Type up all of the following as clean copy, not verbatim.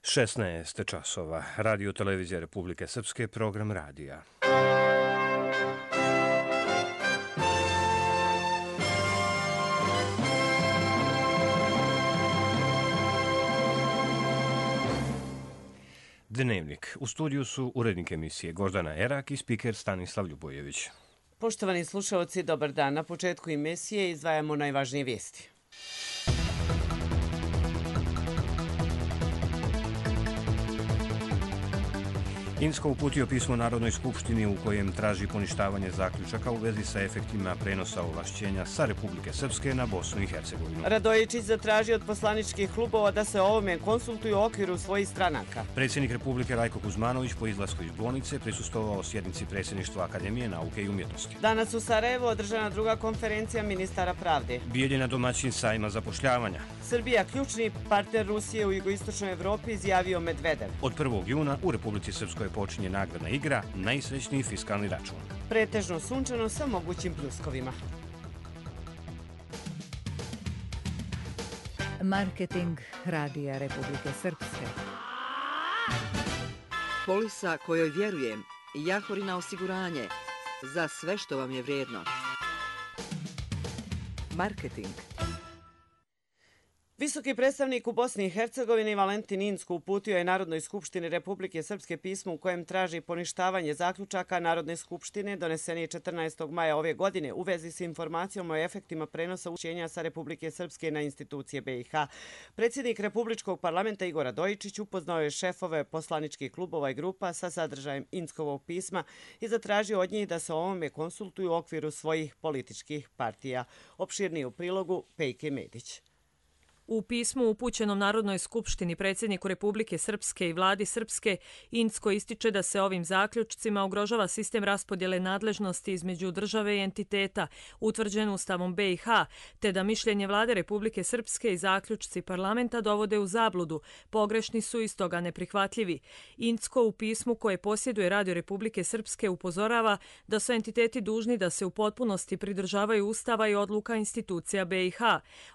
16 časova. Radio Televizija Republike Srpske, program radija. Dnevnik. U studiju su urednik emisije Gordana Erak i spiker Stanislav Ljubojević. Poštovani slušalci, dobar dan. Na početku emisije izdvajamo najvažnije vijesti. Insko uputio pismo Narodnoj skupštini u kojem traži poništavanje zaključaka u vezi sa efektima prenosa ovlašćenja sa Republike Srpske na Bosnu i Hercegovinu. Radojičić zatraži od poslaničkih klubova da se o ovome konsultuju u okviru svojih stranaka. Predsjednik Republike Rajko Kuzmanović po izlasku iz bolnice prisustvovao sjednici Predsjedništva Akademije nauke i umjetnosti. Danas u Sarajevu održana druga konferencija ministara pravde. Bijeljina domaćin sajma zapošljavanja. Srbija, ključni partner Rusije u jugoistočnoj Evropi, izjavio Medvedev. Od 1. juna u Republici Srpskoj počinje nagradna igra Najsrećniji fiskalni račun. Pretežno sunčano sa mogućim pljuskovima. Marketing Radija Republike Srpske. Polisa kojoj vjerujem, Jahorina osiguranje, za sve što vam je vrijedno. Marketing. Visoki predstavnik u Bosni i Hercegovini Valentin Incko uputio je Narodnoj skupštini Republike Srpske pismo u kojem traži poništavanje zaključaka Narodne skupštine doneseni 14. maja ove godine u vezi s informacijom o efektima prenosa ovlašćenja sa Republike Srpske na institucije BiH. Predsjednik Republičkog parlamenta Igor Radojičić upoznao je šefove poslaničkih klubova i grupa sa sadržajem Inckovog pisma i zatražio od njih da se o ovome konsultuju u okviru svojih političkih partija. Opširniji u prilogu Pejke Medić. U pismu upućenom Narodnoj skupštini predsjedniku Republike Srpske i vladi Srpske, Incko ističe da se ovim zaključcima ugrožava sistem raspodjele nadležnosti između države i entiteta utvrđen Ustavom BiH, te da mišljenje vlade Republike Srpske i zaključci parlamenta dovode u zabludu, pogrešni su i stoga neprihvatljivi. Incko u pismu koje posjeduje Radio Republike Srpske upozorava da su entiteti dužni da se u potpunosti pridržavaju Ustava i odluka institucija BiH.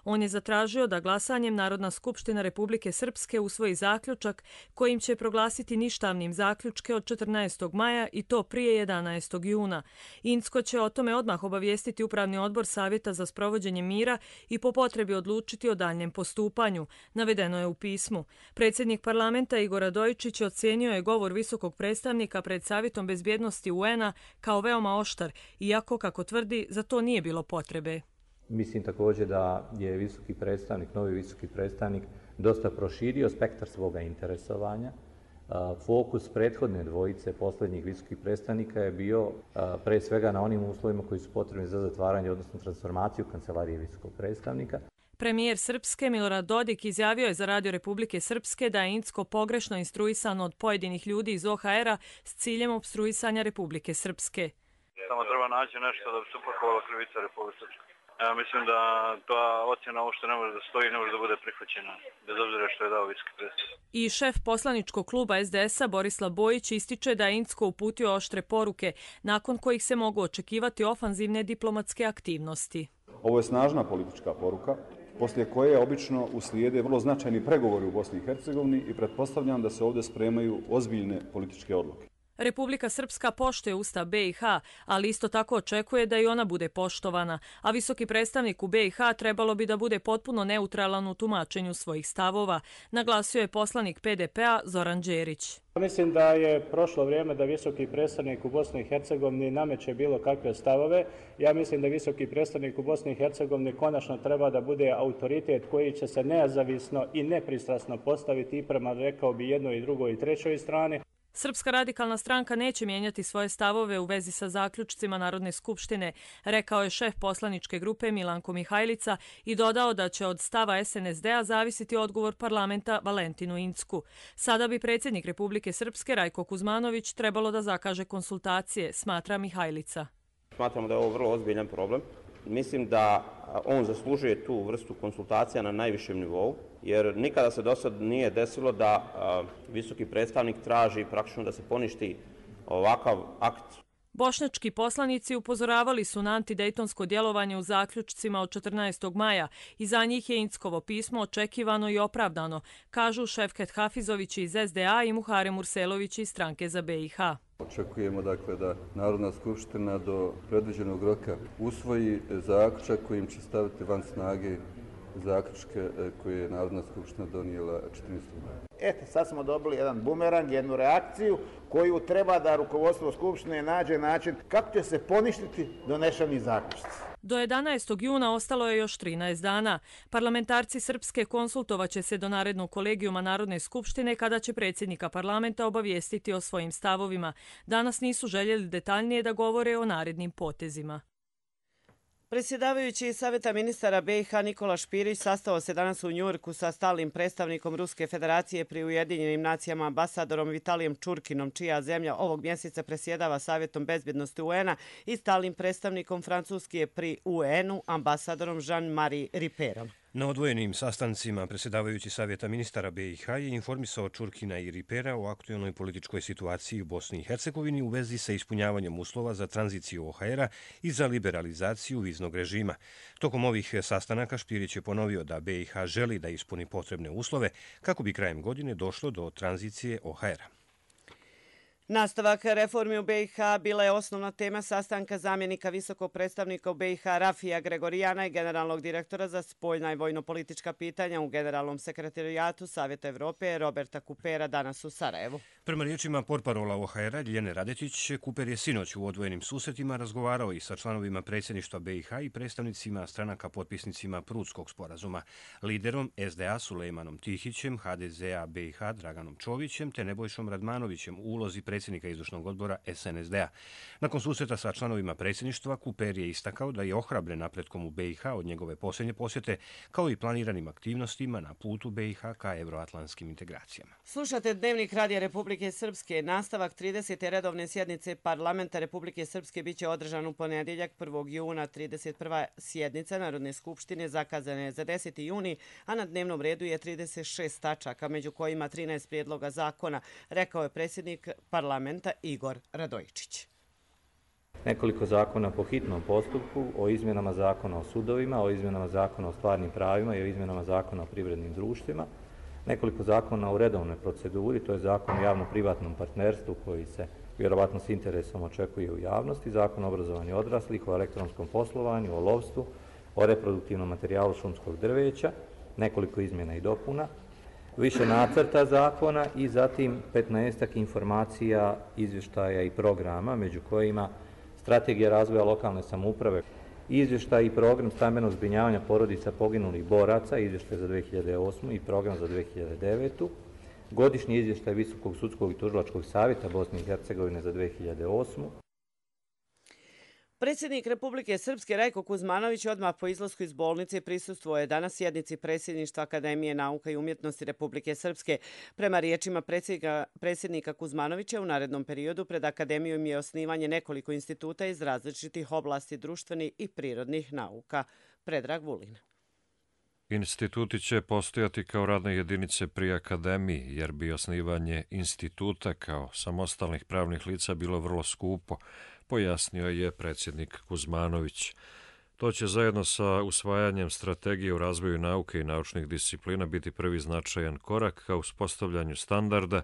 On je zatražio da glasanjem Narodna skupština Republike Srpske usvoji zaključak kojim će proglasiti ništavnim zaključke od 14. maja i to prije 11. juna. Incko će o tome odmah obavijestiti Upravni odbor Savjeta za sprovođenje mira i po potrebi odlučiti o daljnjem postupanju, navedeno je u pismu. Predsjednik parlamenta Igor Radojičić ocijenio je govor visokog predstavnika pred Savjetom bezbjednosti UN-a kao veoma oštar, iako, kako tvrdi, za to nije bilo potrebe. Mislim također da je visoki predstavnik, novi visoki predstavnik, dosta proširio spektar svoga interesovanja. Fokus prethodne dvojice posljednjih visokih predstavnika je bio pre svega na onim uslovima koji su potrebni za zatvaranje, odnosno transformaciju kancelarije visokog predstavnika. Premijer Srpske Milorad Dodik izjavio je za Radio Republike Srpske da je Incko pogrešno instruisan od pojedinih ljudi iz OHR-a s ciljem opstruisanja Republike Srpske. Samo treba naći nešto da bi se upakovala krivica Republike Srpske. Ja mislim da ta ocjena uopšte ne može da stoji, ne može da bude prihvaćena, bez obzira što je dao visoki predstavnik. I šef poslaničkog kluba SDS-a Borislav Bojić ističe da je Incko uputio oštre poruke, nakon kojih se mogu očekivati ofanzivne diplomatske aktivnosti. Ovo je snažna politička poruka, poslije koje obično uslijede vrlo značajni pregovori u Bosni i Hercegovini i pretpostavljam da se ovdje spremaju ozbiljne političke odluke. Republika Srpska poštuje Ustav BiH, ali isto tako očekuje da i ona bude poštovana, a visoki predstavnik u BiH trebalo bi da bude potpuno neutralan u tumačenju svojih stavova, naglasio je poslanik PDP-a Zoran Đerić. Mislim da je prošlo vrijeme da visoki predstavnik u Bosni i Hercegovini nameće bilo kakve stavove. Ja mislim da visoki predstavnik u Bosni i Hercegovini konačno treba da bude autoritet koji će se nezavisno i nepristrasno postaviti i prema, rekao bi, jednoj i drugoj i trećoj strani. Srpska radikalna stranka neće mijenjati svoje stavove u vezi sa zaključcima Narodne skupštine, rekao je šef poslaničke grupe Milanko Mihajlica i dodao da će od stava SNSD-a zavisiti odgovor parlamenta Valentinu Incku. Sada bi predsjednik Republike Srpske Rajko Kuzmanović trebalo da zakaže konsultacije, smatra Mihajlica. Smatramo da je ovo vrlo ozbiljan problem. Mislim da on zaslužuje tu vrstu konsultacija na najvišem nivou, jer nikada se do sad nije desilo da visoki predstavnik traži praktično da se poništi ovakav akt. Bošnjački poslanici upozoravali su na antidejtonsko djelovanje u zaključcima od 14. maja i za njih je Inckovo pismo očekivano i opravdano, kažu Šefket Hafizović iz SDA i Muharem Urselović iz Stranke za BiH. Očekujemo dakle da Narodna skupština do predviđenog roka usvoji zaključak kojim će staviti van snage zaključke koje je Narodna skupština donijela 14. maja. Eto, sad smo dobili jedan bumerang, jednu reakciju koju treba da rukovodstvo Skupštine nađe način kako će se poništiti donešeni zaključci. Do 11. juna ostalo je još 13 dana. Parlamentarci Srpske konsultovaće se do narednog kolegijuma Narodne skupštine kada će predsjednika parlamenta obavijestiti o svojim stavovima. Danas nisu željeli detaljnije da govore o narednim potezima. Predsjedavajući Savjeta ministara BiH Nikola Špirić sastao se danas u Njujorku sa stalnim predstavnikom Ruske federacije pri Ujedinjenim nacijama ambasadorom Vitalijem Čurkinom, čija zemlja ovog mjeseca presjedava Savjetom bezbjednosti UN-a, i stalnim predstavnikom Francuske pri UN-u ambasadorom Jean-Marie Riperom. Na odvojenim sastancima predsjedavajući Savjeta ministara BiH je informisao Čurkina i Ripera o aktualnoj političkoj situaciji u Bosni i Hercegovini u vezi sa ispunjavanjem uslova za tranziciju OHR-a i za liberalizaciju viznog režima. Tokom ovih sastanaka Špirić je ponovio da BiH želi da ispuni potrebne uslove kako bi krajem godine došlo do tranzicije OHR-a. Nastavak reformi u BiH bila je osnovna tema sastanka zamjenika visokog predstavnika u BiH Rafija Gregorijana i generalnog direktora za spoljna i vojno-politička pitanja u Generalnom sekretarijatu Savjeta Evrope Roberta Kupera danas u Sarajevu. Prema riječima portparola OHR-a Ljiljane Radetić, Kuper je sinoć u odvojenim susretima razgovarao i sa članovima predsjedništva BiH i predstavnicima stranaka potpisnicima Prudskog sporazuma, liderom SDA Sulejmanom Tihićem, HDZ-a BiH Draganom Čovićem te Nebojšom Radmanovićem u ulozi predsjednika izvršnog odbora SNSD-a. Nakon susreta sa članovima predsjedništva, Kuper je istakao da je ohrabren napretkom u BiH od njegove posljednje posjete, kao i planiranim aktivnostima na putu BiH ka evroatlantskim integracijama. Slušate Dnevnik Radija Republike Srpske. Nastavak 30. redovne sjednice Parlamenta Republike Srpske biće održan u ponedjeljak 1. juna. 31. sjednica Narodne skupštine zakazana je za 10. juni, a na dnevnom redu je 36 tačaka, među kojima 13 prijedloga zakona, rekao je predsjednik parlamenta Igor Radojičić. Nekoliko zakona po hitnom postupku, o izmjenama zakona o sudovima, o izmjenama zakona o stvarnim pravima i o izmjenama zakona o privrednim društvima. Nekoliko zakona u redovnoj proceduri, to je zakon o javno-privatnom partnerstvu koji se vjerovatno s interesom očekuje u javnosti, zakon o obrazovanju odraslih, o elektronskom poslovanju, o lovstvu, o reproduktivnom materijalu šumskog drveća, nekoliko izmjena i dopuna, više nacrta zakona i zatim 15 informacija, izvještaja i programa, među kojima strategija razvoja lokalne samouprave, izvještaj i program stambenog zbrinjavanja porodica poginulih boraca, izvještaj za 2008. i program za 2009. Godišnji izvještaj Visokog sudskog i tužilačkog savjeta Bosne i Hercegovine za 2008. Predsjednik Republike Srpske Rajko Kuzmanović odmah po izlasku iz bolnice prisustvuje danas sjednici predsjedništva Akademije nauka i umjetnosti Republike Srpske. Prema riječima predsjednika Kuzmanovića, u narednom periodu pred Akademijom je osnivanje nekoliko instituta iz različitih oblasti društvenih i prirodnih nauka. Predrag Vulin. Instituti će postojati kao radne jedinice pri Akademiji, jer bi osnivanje instituta kao samostalnih pravnih lica bilo vrlo skupo, pojasnio je predsjednik Kuzmanović. To će zajedno sa usvajanjem strategije u razvoju nauke i naučnih disciplina biti prvi značajan korak ka uspostavljanju standarda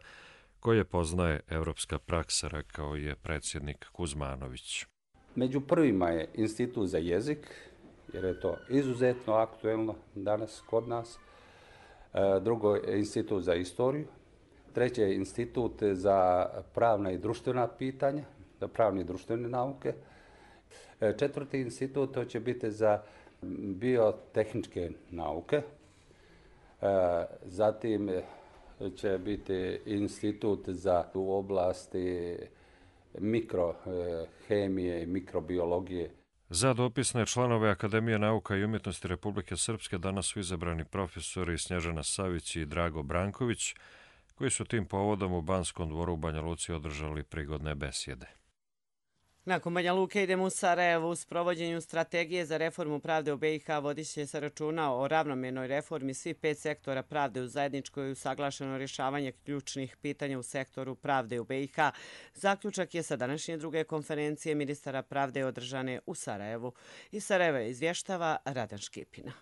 koje poznaje evropska praksa, rekao je predsjednik Kuzmanović. Među prvima je Institut za jezik, jer je to izuzetno aktuelno danas kod nas. Drugo je Institut za istoriju. Treće je Institut za pravna i društvena pitanja, za pravne i društvene nauke. Četvrti institut to će biti za biotehničke nauke. Zatim će biti institut za u oblasti mikrohemije i mikrobiologije. Za dopisne članove Akademije nauka i umjetnosti Republike Srpske danas su izabrani profesori Snježana Savić i Drago Branković, koji su tim povodom u Banskom dvoru u Banja Luci održali prigodne besjede. Nakon Banja Luke idemo u Sarajevo. U sprovođenju strategije za reformu pravde u BiH vodiće će se računa o ravnomernoj reformi svih 5 sektora pravde u zajedničkoj i usaglašeno rješavanje ključnih pitanja u sektoru pravde u BiH. Zaključak je sa današnje druge konferencije ministara pravde održane u Sarajevu. Iz Sarajeva izvještava Radan Škipina.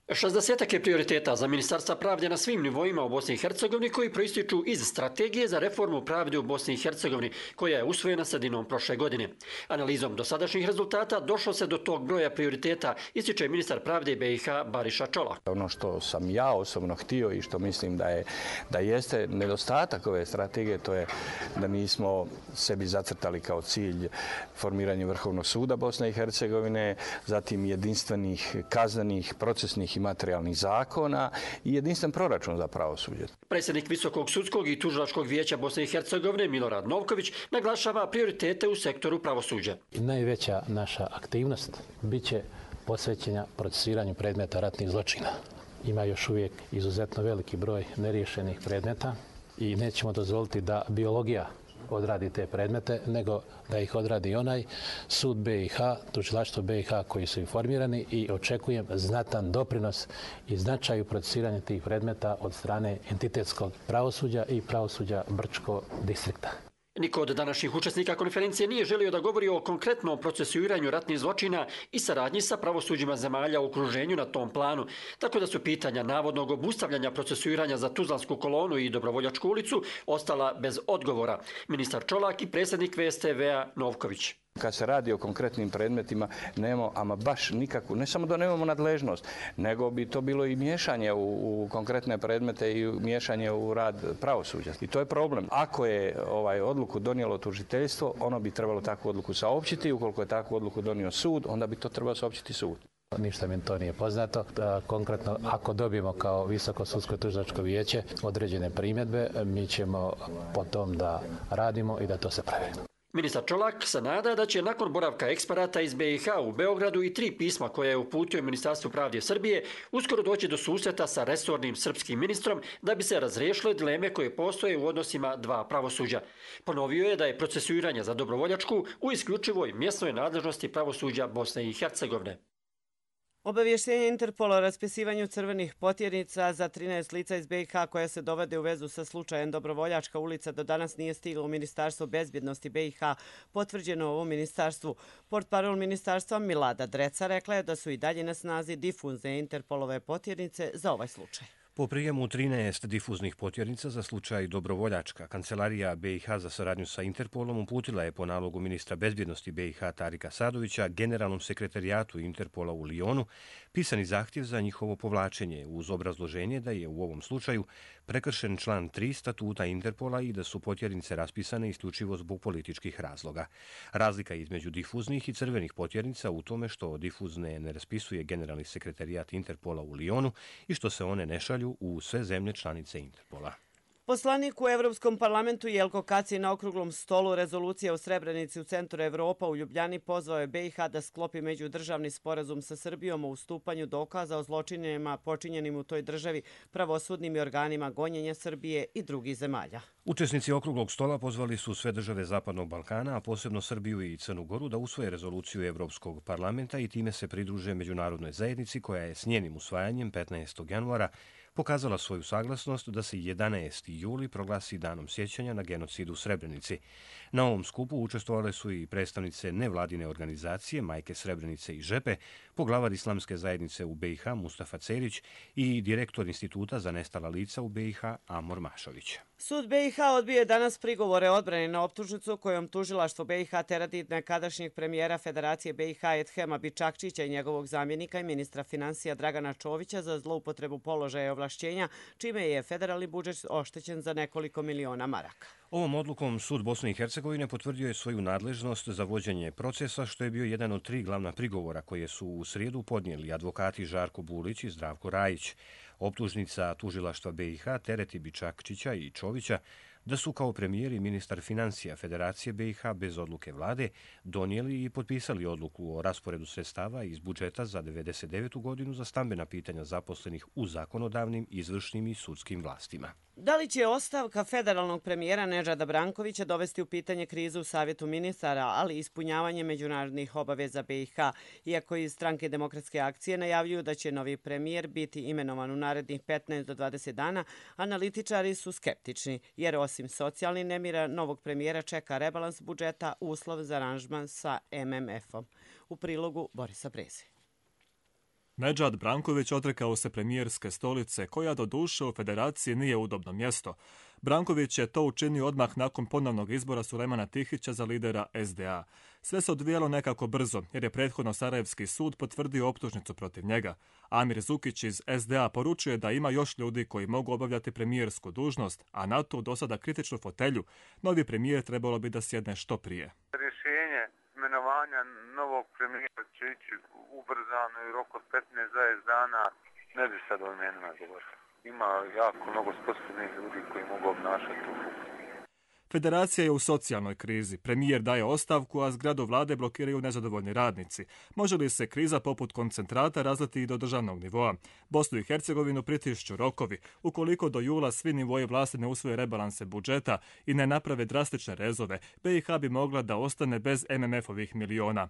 60 je prioriteta za Ministarstva pravde na svim nivoima u Bosni i Hercegovini koji proističu iz strategije za reformu pravde u Bosni i Hercegovini, koja je usvojena sredinom prošle godine. Analizom dosadašnjih rezultata došlo se do tog broja prioriteta, ističe ministar pravde BiH Bariša Čolak. Ono što sam ja osobno htio i što mislim da jeste nedostatak ove strategije, to je da nismo sebi zacrtali kao cilj formiranje Vrhovnog suda Bosne i Hercegovine, zatim jedinstvenih kaznenih, procesnih i materijalnih zakona i jedinstven proračun za pravosuđe. Predsjednik Visokog sudskog i tužilačkog vijeća Bosne i Hercegovine Milorad Novković naglašava prioritete u sektoru pravosuđa. Najveća naša aktivnost biće posvećena procesuiranju predmeta ratnih zločina. Ima još uvijek izuzetno veliki broj neriješenih predmeta i nećemo dozvoliti da biologija odradi te predmete, nego da ih odradi onaj sud BiH, tužilaštvo BiH koji su informirani i očekujem znatan doprinos i značaju procesiranja tih predmeta od strane entitetskog pravosuđa i pravosuđa Brčko distrikta. Niko od današnjih učesnika konferencije nije želio da govori o konkretnom procesuiranju ratnih zločina i saradnji sa pravosuđima zemalja u okruženju na tom planu, tako da su pitanja navodnog obustavljanja procesuiranja za Tuzlansku kolonu i Dobrovoljačku ulicu ostala bez odgovora. Ministar Čolak i predsjednik VSTV-a Novković. Kad se radi o konkretnim predmetima, nemamo ama baš nikakvu, ne samo da nemamo nadležnost, nego bi to bilo i miješanje u konkretne predmete i miješanje u rad pravosuđa. I to je problem. Ako je odluku donijelo tužiteljstvo, ono bi trebalo takvu odluku saopćiti. Ukoliko je takvu odluku donio sud, onda bi to trebalo saopćiti sud. Ništa mi to nije poznato. Konkretno, ako dobijemo kao Visoko sudsko tužilačko vijeće određene primjedbe, mi ćemo po tom da radimo i da to se pravi. Ministar Čolak se nada da će nakon boravka eksperata iz BiH u Beogradu i 3 pisma koje je uputio Ministarstvu pravde Srbije uskoro doći do susreta sa resornim srpskim ministrom da bi se razriješile dileme koje postoje u odnosima dva pravosuđa. Ponovio je da je procesuiranje za Dobrovoljačku u isključivoj mjesnoj nadležnosti pravosuđa Bosne i Hercegovine. Obavještenje Interpola o raspisivanju crvenih potjernica za 13 lica iz BiH koja se dovode u vezu sa slučajem Dobrovoljačka ulica do danas nije stiglo u Ministarstvo bezbjednosti BiH, potvrđeno u ovom ministarstvu. Portparol ministarstva Milada Dreca rekla je da su i dalje na snazi difuzne Interpolove potjernice za ovaj slučaj. Po prijemu 13 difuznih potjernica za slučaj Dobrovoljačka, Kancelarija BiH za saradnju sa Interpolom uputila je po nalogu ministra bezbjednosti BiH Tarika Sadovića generalnom sekretarijatu Interpola u Lijonu pisani zahtjev za njihovo povlačenje uz obrazloženje da je u ovom slučaju prekršen član 3 statuta Interpola i da su potjernice raspisane isključivo zbog političkih razloga. Razlika između difuznih i crvenih potjernica u tome što difuzne ne raspisuje generalni sekretarijat Interpola u Lijonu i što se one ne šalju u sve zemlje članice Interpola. Poslanik u Evropskom parlamentu Jelko Kacin na okruglom stolu rezolucije o Srebrenici u centru Evropa u Ljubljani pozvao je BiH da sklopi međudržavni sporazum sa Srbijom o ustupanju dokaza o zločinima počinjenim u toj državi pravosudnim i organima gonjenja Srbije i drugih zemalja. Učesnici okruglog stola pozvali su sve države Zapadnog Balkana, a posebno Srbiju i Crnu Goru, da usvoje rezoluciju Evropskog parlamenta i time se pridruže međunarodnoj zajednici koja je s njenim usvajanjem 15. januara pokazala svoju saglasnost da se 11. juli proglasi danom sjećanja na genocid u Srebrenici. Na ovom skupu učestvovale su i predstavnice nevladine organizacije Majke Srebrenice i Žepe, poglavar Islamske zajednice u BiH Mustafa Cerić i direktor Instituta za nestala lica u BiH Amor Mašović. Sud BiH odbio je danas prigovore odbrane na optužnicu kojom tužilaštvo BiH terati nekadašnjeg premijera Federacije BiH Edhema Bičakčića i njegovog zamjenika i ministra financija Dragana Čovića za zloupotrebu položaja i ovlašćenja, čime je federalni budžet oštećen za nekoliko miliona maraka. Ovom odlukom Sud Bosne i Hercegovine potvrdio je svoju nadležnost za vođenje procesa, što je bio jedan od 3 glavna prigovora koje su u srijedu podnijeli advokati Žarko Bulić i Zdravko Rajić. Optužnica tužilaštva BiH tereti Bičakčića i Čovića da su kao premijer i ministar financija Federacije BiH bez odluke vlade donijeli i potpisali odluku o rasporedu sredstava iz budžeta za 1999. godinu za stambena pitanja zaposlenih u zakonodavnim, izvršnim i sudskim vlastima. Da li će ostavka federalnog premijera Nedžada Brankovića dovesti u pitanje krizu u Savjetu ministara, ali i ispunjavanje međunarodnih obaveza BiH, iako iz Stranke demokratske akcije najavljuju da će novi premijer biti imenovan u narednih 15 do 20 dana, analitičari su skeptični, jer osim socijalnih nemira, novog premijera čeka rebalans budžeta, uslov za aranžman sa MMF-om. U prilogu Borisa Breze. Nedžad Branković odrekao se premijerske stolice, koja do duše u federaciji nije udobno mjesto. Branković je to učinio odmah nakon ponovnog izbora Sulejmana Tihića za lidera SDA. Sve se odvijalo nekako brzo, jer je prethodno Sarajevski sud potvrdio optužnicu protiv njega. Amir Zukić iz SDA poručuje da ima još ljudi koji mogu obavljati premijersku dužnost, a na tu do sada kritičnu fotelju novi premijer trebalo bi da sjedne što prije. Rješenje imenovanja novog premijera će ići ubrzano i rok od 15-20 dana, ne bi sad o imenima govorio. Ima jako mnogo sposobnih ljudi koji mogu obnašati tu funkciju. Federacija je u socijalnoj krizi. Premijer daje ostavku, a zgradu vlade blokiraju nezadovoljni radnici. Može li se kriza poput koncentrata razliti i do državnog nivoa? Bosnu i Hercegovinu pritišću rokovi. Ukoliko do jula svi nivoji vlasti ne usvoje rebalanse budžeta i ne naprave drastične rezove, BiH bi mogla da ostane bez MMF-ovih miliona.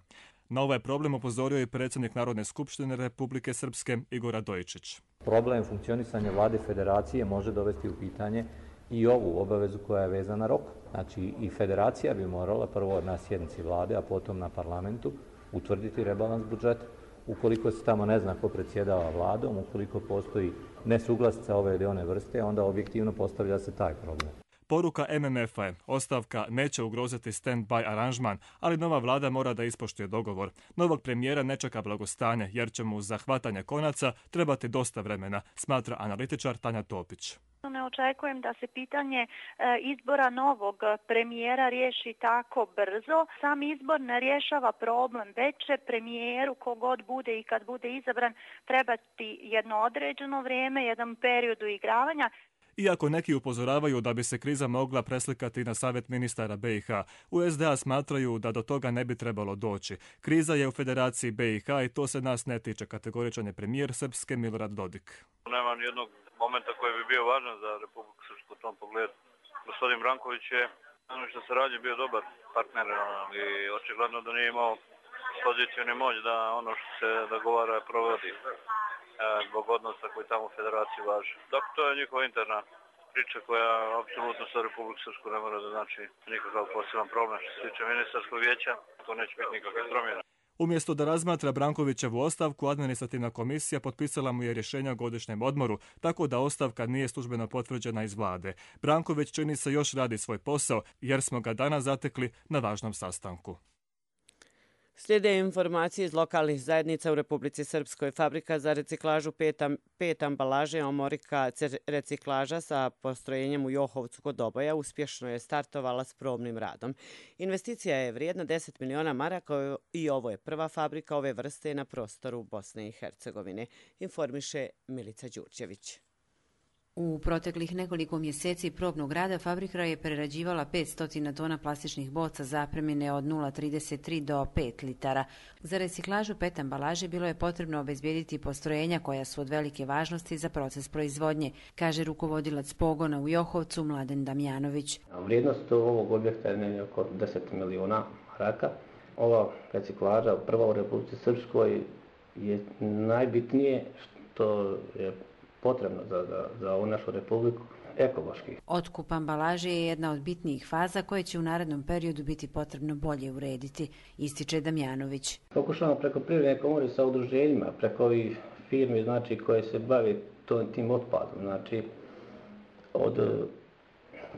Na ovaj problem upozorio je predsjednik Narodne skupštine Republike Srpske Igor Radojičić. Problem funkcionisanja vlade federacije može dovesti u pitanje i ovu obavezu koja je vezana na rok. Znači i federacija bi morala prvo na sjednici vlade, a potom na parlamentu utvrditi rebalans budžeta. Ukoliko se tamo ne zna ko predsjedava vladom, ukoliko postoji nesuglasica ove ili one vrste, onda objektivno postavlja se taj problem. Poruka MMF-a je, ostavka neće ugroziti stand-by aranžman, ali nova vlada mora da ispoštuje dogovor. Novog premijera ne čeka blagostanje, jer će mu za hvatanje konaca trebati dosta vremena, smatra analitičar Tanja Topić. Ne očekujem da se pitanje izbora novog premijera riješi tako brzo. Sam izbor ne rješava problem, već će premijeru, kogod bude i kad bude izabran, trebati jedno određeno vrijeme, jedan period uigravanja. Iako neki upozoravaju da bi se kriza mogla preslikati na Savjet ministara BiH, u SDA smatraju da do toga ne bi trebalo doći. Kriza je u Federaciji BiH i to se nas ne tiče, kategoričan je premijer Srpske Milorad Dodik. Nema nijednog momenta koji bi bio važan za Republiku Srpsku u tom pogledu. Gospodin Branković je, ono što se radi, bio dobar partner i očigledno da nije imao poziciju ni moć da ono što se dogovara provodi zbog odnosa koji tamo u federaciji važi. Dakle, to je njihova interna priča koja apsolutno sa Republiku Srpsku ne mora da znači nikakav poseban problem. Što se tiče ministarskog vijeća, to neće biti nikakve promjene. Umjesto da razmatra Brankovićevu ostavku, administrativna komisija potpisala mu je rješenje o godišnjem odmoru, tako da ostavka nije službeno potvrđena iz vlade. Branković čini se još radi svoj posao, jer smo ga danas zatekli na važnom sastanku. Slijede informacije iz lokalnih zajednica u Republici Srpskoj. Fabrika za reciklažu pet ambalaže Omorika reciklaža sa postrojenjem u Johovcu kod Doboja uspješno je startovala s probnim radom. Investicija je vrijedna 10 miliona maraka i ovo je prva fabrika ove vrste na prostoru Bosne i Hercegovine, informiše Milica Đurđević. U proteklih nekoliko mjeseci probnog rada fabrika je prerađivala 500 tona plastičnih boca zapremine od 0,33 do 5 litara. Za reciklažu PET ambalaže bilo je potrebno obezbijediti postrojenja koja su od velike važnosti za proces proizvodnje, kaže rukovodilac pogona u Johovcu Mladen Damjanović. Vrijednost ovog objekta je oko 10 miliona maraka. Ova reciklaža prva u Republici Srpskoj je najbitnije što je potrebno za ovu našu republiku ekološki. Otkup ambalaže je jedna od bitnijih faza koje će u narednom periodu biti potrebno bolje urediti, ističe Damjanović. Pokušavamo preko Privredne komore sa udruženjima, preko ovih firmi znači, koje se bave tim otpadom, znači od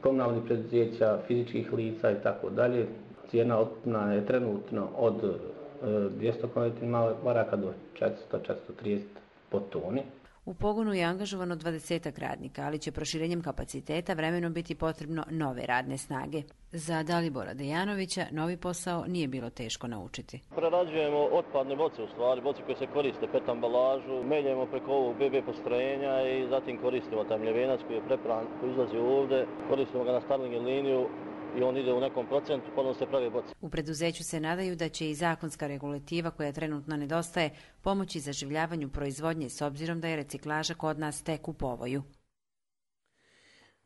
komunalnih preduzeća, fizičkih lica i tako dalje. Cijena otkupa je trenutno od 200 maraka do 400-430 po toni. U pogonu je angažovano 20 radnika, ali će proširenjem kapaciteta vremenom biti potrebno nove radne snage. Za Dalibora Dejanovića novi posao nije bilo teško naučiti. Prerađujemo otpadne boce, u stvari, boce koje se koriste, PET ambalažu, meljemo preko ovog BB postrojenja i zatim koristimo taj mljevenac koji je prepran, koji izlazi ovdje, koristimo ga na Starling liniju i on ide u nekom procentu, pa se pravi boce. U preduzeću se nadaju da će i zakonska regulativa koja trenutno nedostaje pomoći zaživljavanju proizvodnje s obzirom da je reciklaža kod nas tek u povoju.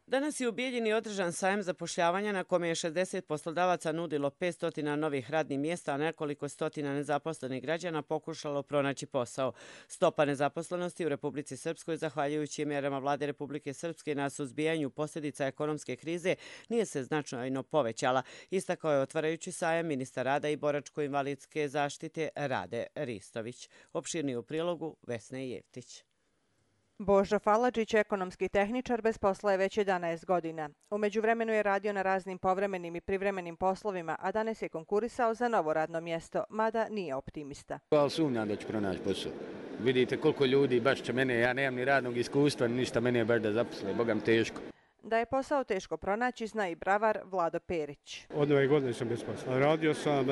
Danas je u Bijeljini održan sajam zapošljavanja na kome je 60 poslodavaca nudilo 500 novih radnih mjesta, a nekoliko stotina nezaposlenih građana pokušalo pronaći posao. Stopa nezaposlenosti u Republici Srpskoj, zahvaljujući mjerama vlade Republike Srpske na suzbijanju posljedica ekonomske krize, nije se značajno povećala. Istakao je otvarajući sajam ministar rada i boračko-invalidske zaštite Rade Ristović. Opširniji u prilogu Vesne Jevtić. Božo Faladžić, ekonomski tehničar, bez posla je već 11 godina. U međuvremenu je radio na raznim povremenim i privremenim poslovima, a danas je konkurisao za novo radno mjesto, mada nije optimista. Ali sumnjam da ću pronaći posao. Vidite koliko ljudi baš će mene, ja nemam ni radnog iskustva, ništa mene je baš da zaposle, bogam teško. Da je posao teško pronaći, zna i bravar Vlado Perić. Od nove godine sam bez posla. Radio sam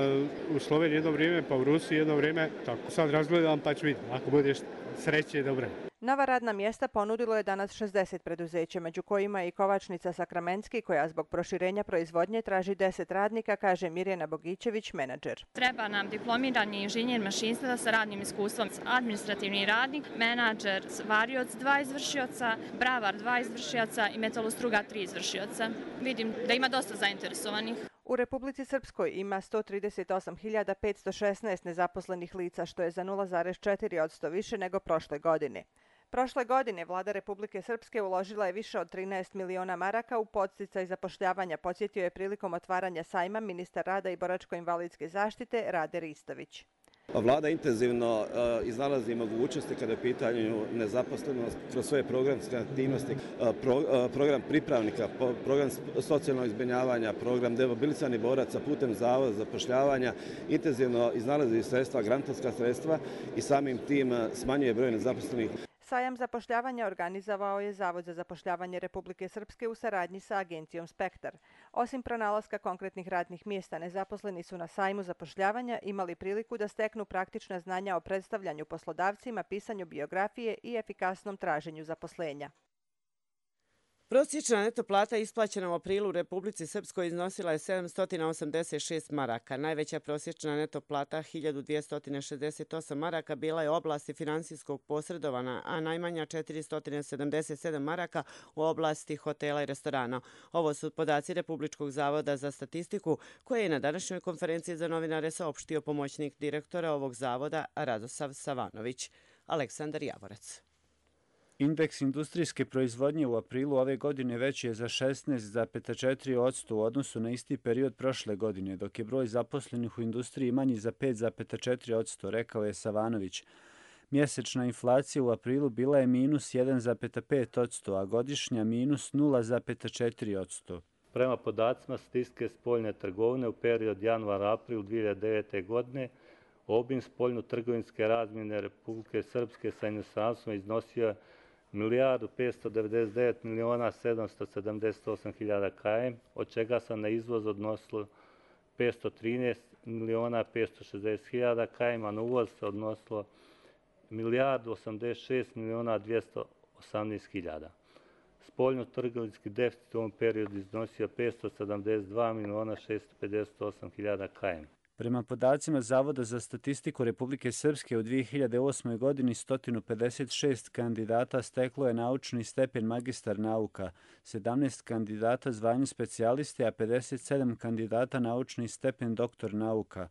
u Sloveniji jedno vrijeme, pa u Rusiji jedno vrijeme. Tako sad razgledam pa ću vidjeti. Ako budeš sreće, dobro. Nova radna mjesta ponudilo je danas 60 preduzeća, među kojima je i kovačnica Sakramenski, koja zbog proširenja proizvodnje traži 10 radnika, kaže Mirjana Bogićević, menadžer. Treba nam diplomirani inženjer mašinstva sa radnim iskustvom, administrativni radnik, menadžer, varioc 2 izvršioca, bravar 2 izvršioca i metalostruga 3 izvršioca. Vidim da ima dosta zainteresovanih. U Republici Srpskoj ima 138.516 nezaposlenih lica, što je za 0,4% više nego prošle godine. Prošle godine vlada Republike Srpske uložila je više od 13 miliona maraka u podsticaj zapošljavanja, podsjetio je prilikom otvaranja sajma ministar rada i boračko-invalidske zaštite Rade Ristović. Vlada intenzivno iznalazi mogućnosti kada je pitanju nezaposlenost kroz svoje programske aktivnosti, program pripravnika, program socijalnog zbrinjavanja, program demobilisanih boraca putem Zavoda za zapošljavanja, intenzivno iznalazi sredstva, grantovska sredstva i samim tim smanjuje broj nezaposlenih. Sajam zapošljavanja organizovao je Zavod za zapošljavanje Republike Srpske u saradnji sa agencijom Spektar. Osim pronalaska konkretnih radnih mjesta, nezaposleni su na sajmu zapošljavanja imali priliku da steknu praktična znanja o predstavljanju poslodavcima, pisanju biografije i efikasnom traženju zaposlenja. Prosječna neto plata isplaćena u aprilu u Republici Srpskoj iznosila je 786 maraka. Najveća prosječna neto plata, 1268 maraka, bila je u oblasti finansijskog posredovanja, a najmanja 477 maraka u oblasti hotela i restorana. Ovo su podaci Republičkog zavoda za statistiku, koje je na današnjoj konferenciji za novinare saopštio pomoćnik direktora ovog zavoda Radosav Savanović. Aleksandar Javorac. Indeks industrijske proizvodnje u aprilu ove godine veći je za 16,4% u odnosu na isti period prošle godine, dok je broj zaposlenih u industriji manji za 5,4%, rekao je Savanović. Mjesečna inflacija u aprilu bila je minus 1,5%, a godišnja minus 0,4%. Prema podacima statistike spoljne trgovine u period januar-april 2009. godine, obim spoljno-trgovinske razmjene Republike Srpske sa inostranstvom iznosio 1.599.778.000 km, od čega se na izvoz odnosilo 513.560.000 km, a na uvoz se odnosilo 1.086.218.000. Spoljno-trgovinski deficit u ovom periodu iznosio 572.658.000 km. Prema podacima Zavoda za statistiku Republike Srpske u 2008. godini 156 kandidata steklo je naučni stepen magistar nauka, 17 kandidata zvanju specijaliste, a 57 kandidata naučni stepen doktor nauka.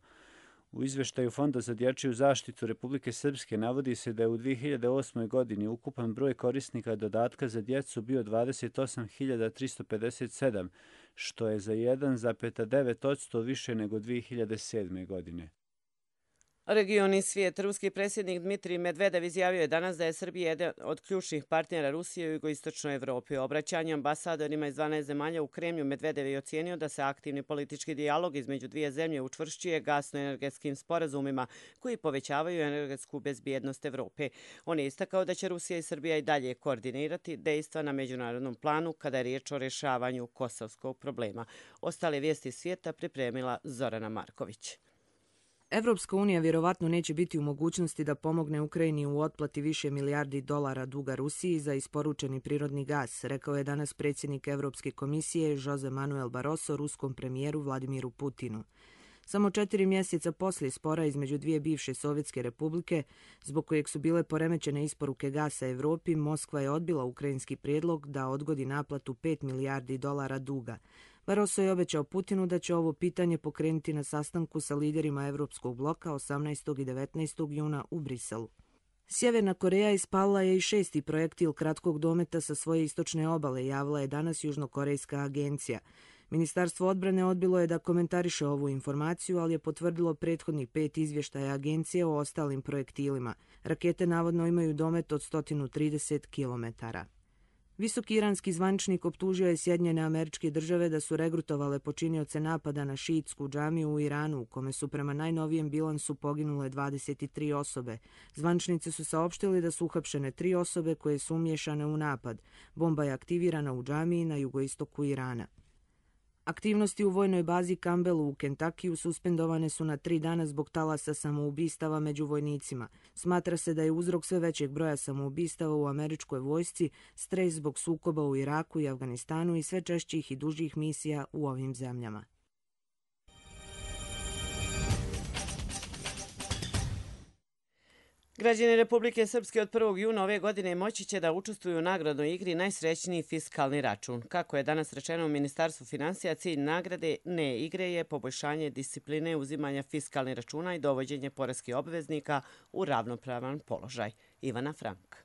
U izveštaju Fonda za dječju zaštitu Republike Srpske navodi se da je u 2008. godini ukupan broj korisnika dodatka za djecu bio 28.357, što je za 1,9% više nego 2007. godine. Region i svijet. Ruski predsjednik Dmitrij Medvedev izjavio je danas da je Srbija jedan od ključnih partnera Rusije u jugoistočnoj Evropi. U obraćanju ambasadorima iz 12 zemalja u Kremlju Medvedev je ocijenio da se aktivni politički dijalog između dvije zemlje učvršćuje gasno-energetskim sporazumima koji povećavaju energetsku bezbjednost Evrope. On je istakao da će Rusija i Srbija i dalje koordinirati dejstva na međunarodnom planu kada je riječ o rješavanju kosovskog problema. Ostale vijesti svijeta pripremila Zorana Marković. Evropska unija vjerovatno neće biti u mogućnosti da pomogne Ukrajini u otplati više milijardi dolara duga Rusiji za isporučeni prirodni gas, rekao je danas predsjednik Evropske komisije Jose Manuel Barroso ruskom premijeru Vladimiru Putinu. Samo 4 mjeseca poslije spora između dvije bivše Sovjetske republike, zbog kojeg su bile poremećene isporuke gasa Evropi, Moskva je odbila ukrajinski prijedlog da odgodi naplatu 5 milijardi dolara duga. Barroso je obećao Putinu da će ovo pitanje pokrenuti na sastanku sa liderima Evropskog bloka 18. i 19. juna u Briselu. Sjeverna Koreja ispalila je i 6. projektil kratkog dometa sa svoje istočne obale, javila je danas Južnokorejska agencija. Ministarstvo odbrane odbilo je da komentariše ovu informaciju, ali je potvrdilo prethodnih 5 izvještaja agencije o ostalim projektilima. Rakete navodno imaju domet od 130 km. Visoki iranski zvaničnik optužio je Sjedinjene Američke Države da su regrutovale počinioce napada na šiitsku džamiju u Iranu, u kome su prema najnovijem bilansu poginule 23 osobe. Zvaničnici su saopštili da su uhapšene 3 osobe koje su umiješane u napad. Bomba je aktivirana u džamiji na jugoistoku Irana. Aktivnosti u vojnoj bazi Campbellu u Kentakiju suspendovane su na 3 dana zbog talasa samoubistava među vojnicima. Smatra se da je uzrok sve većeg broja samoubistava u američkoj vojsci stres zbog sukoba u Iraku i Afganistanu i sve češćih i dužih misija u ovim zemljama. Građani Republike Srpske od 1. juna ove godine moći će da učestvuju u nagradnoj igri Najsrećniji fiskalni račun. Kako je danas rečeno u Ministarstvu finansija, cilj nagrade ne igre je poboljšanje discipline uzimanja fiskalnih računa i dovođenje poreskih obveznika u ravnopravan položaj. Ivana Frank.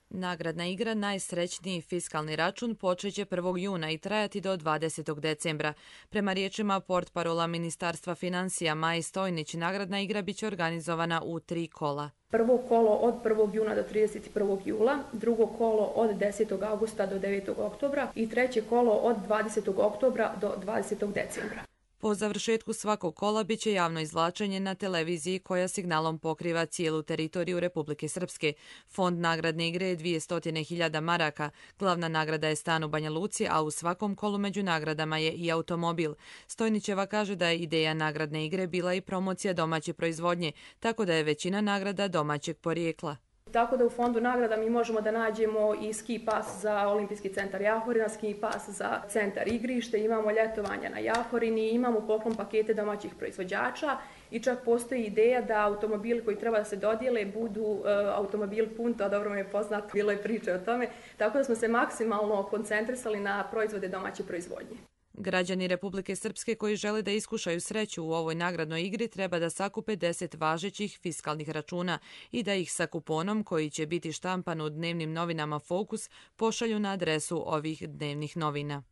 Nagradna igra Najsrećniji fiskalni račun počeće 1. juna i trajati do 20. decembra. Prema riječima portparola Ministarstva financija Maji Stojnić, nagradna igra biće organizovana u 3 kola. Prvo kolo od 1. juna do 31. jula, drugo kolo od 10. augusta do 9. oktobra i treće kolo od 20. oktobra do 20. decembra. Po završetku svakog kola biće javno izvlačenje na televiziji koja signalom pokriva cijelu teritoriju Republike Srpske. Fond nagradne igre je 200.000 maraka. Glavna nagrada je stan u Banja Luci, a u svakom kolu među nagradama je i automobil. Stojnićeva kaže da je ideja nagradne igre bila i promocija domaće proizvodnje, tako da je većina nagrada domaćeg porijekla. Tako da u fondu nagrada mi možemo da nađemo i ski pas za Olimpijski centar Jahorina, ski pas za centar igrište, imamo ljetovanja na Jahorini, imamo poklon pakete domaćih proizvođača i čak postoji ideja da automobili koji treba da se dodijele budu automobil Punto, dobro mi je poznato, bilo je priče o tome, tako da smo se maksimalno koncentrisali na proizvode domaće proizvodnje. Građani Republike Srpske koji žele da iskušaju sreću u ovoj nagradnoj igri treba da sakupe 10 važećih fiskalnih računa i da ih sa kuponom koji će biti štampan u dnevnim novinama Fokus pošalju na adresu ovih dnevnih novina.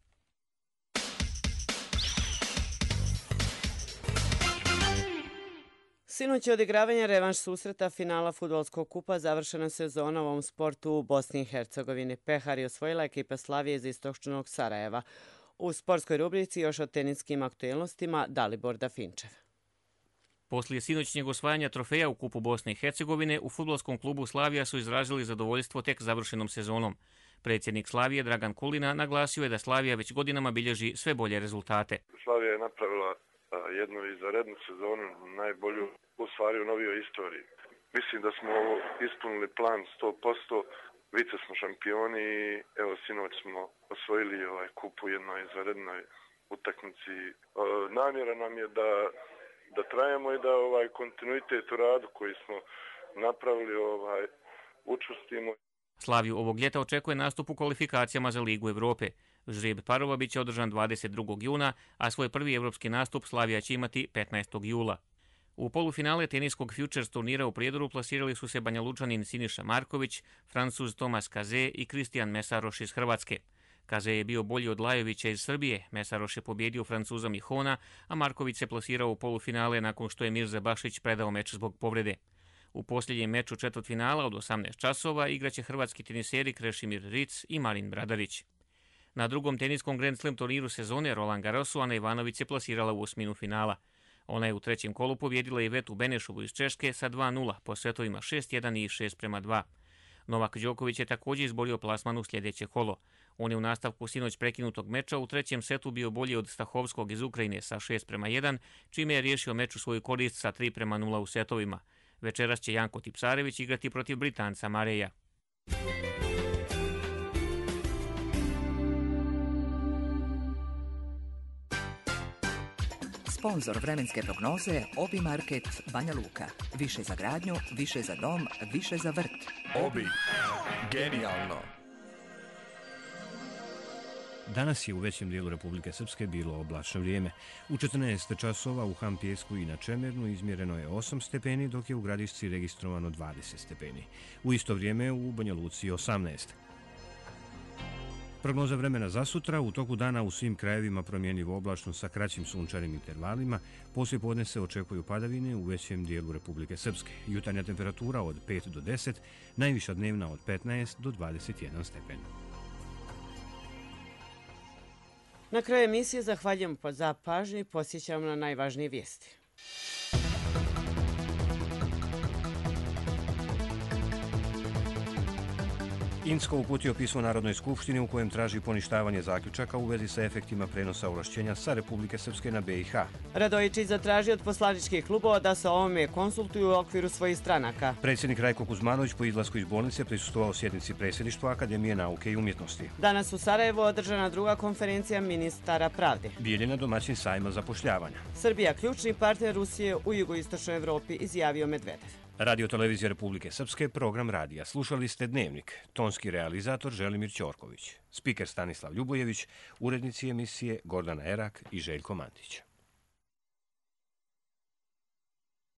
Sinoć je odigravanje revanš susreta finala fudbalskog kupa završena sezona u ovom sportu u Bosni i Hercegovini. Pehar je osvojila ekipa Slavije iz istočnog Sarajeva. U sportskoj rubrici još o teniskim aktuelnostima Dalibor Dafinčev. Poslije sinoćnjeg osvajanja trofeja u kupu Bosne i Hercegovine, u fudbalskom klubu Slavija su izrazili zadovoljstvo tek završenom sezonom. Predsjednik Slavije Dragan Kulina naglasio je da Slavija već godinama bilježi sve bolje rezultate. Slavija je napravila jednu izvanrednu sezonu, najbolju u stvari u novijoj istoriji. Mislim da smo ispunili plan 100%. Vice smo šampioni i evo sinoć smo osvojili kup u jednoj izvanrednoj utakmici. Namjera nam je da trajemo i da kontinuitet u radu koji smo napravili učvrstimo. Slaviju ovog ljeta očekuje nastup u kvalifikacijama za Ligu Evrope. Žreb parova biće održan 22. juna, a svoj prvi evropski nastup Slavija će imati 15. jula. U polufinale teniskog Futures turnira u Prijedoru plasirali su se Banja Lučanin Siniša Marković, Francuz Tomas Kaze i Kristijan Mesaroš iz Hrvatske. Kaze je bio bolji od Lajovića iz Srbije, Mesaroš je pobjedio Francuza Mihona, a Marković se plasirao u polufinale nakon što je Mirza Bašić predao meč zbog povrede. U posljednjem meču četvrtfinala od 18 časova igraće hrvatski teniseri Krešimir Ric i Marin Bradarić. Na drugom teniskom Grand Slam turniru sezone Roland Garrosu Ana Ivanović se plasirala u osminu finala. Ona je u trećem kolu pobjedila Ivetu Benešovu iz Češke sa 2:0 po setovima 6:1 i 6:2. Novak Đoković je također izborio plasman u sljedeće kolo. On je u nastavku sinoć prekinutog meča u trećem setu bio bolji od Stahovskog iz Ukrajine sa 6:1, čime je riješio meč u svoju korist sa 3:0 u setovima. Večeras će Janko Tipsarević igrati protiv Britanca Mareja. Sponzor vremenske prognoze Obi Market Banja Luka. Više za gradnju, više za dom, više za vrt. Obi. Genijalno. Danas je u većem dijelu Republike Srpske bilo oblačno vrijeme. U 14 časova u Hampijesku i na Čemernu izmjereno je 8 stepeni, dok je u Gradišci registrovano 20 stepeni. U isto vrijeme u Banja Luci 18. Prognoza vremena za sutra: u toku dana u svim krajevima promjenjivo oblačno sa kraćim sunčanim intervalima, poslije podne se očekuju padavine u većem dijelu Republike Srpske. Jutarnja temperatura od 5 do 10, najviša dnevna od 15 do 21 stepen. Na kraju emisije zahvaljujemo za pažnju i posjećamo na najvažnije vijesti. Insko uputio pismo Narodnoj skupštini u kojem traži poništavanje zaključaka u vezi sa efektima prenosa ovlašćenja sa Republike Srpske na BiH. Radojičić zatražio od poslaničkih klubova da se o ovome konsultuju u okviru svojih stranaka. Predsjednik Rajko Kuzmanović po izlasku iz bolnice prisustvovao sjednici predsjedništva Akademije nauke i umjetnosti. Danas u Sarajevu održana druga konferencija ministara pravde. Bijeljina domaćin sajma zapošljavanja. Srbija ključni partner Rusije u jugoistočnoj Evropi, izjavio Medvedev. Radio Televizija Republike Srpske, program radija. Slušali ste Dnevnik. Tonski realizator Želimir Ćorković. Spiker Stanislav Ljubojević, urednici emisije Gordana Erak i Željko Mantić.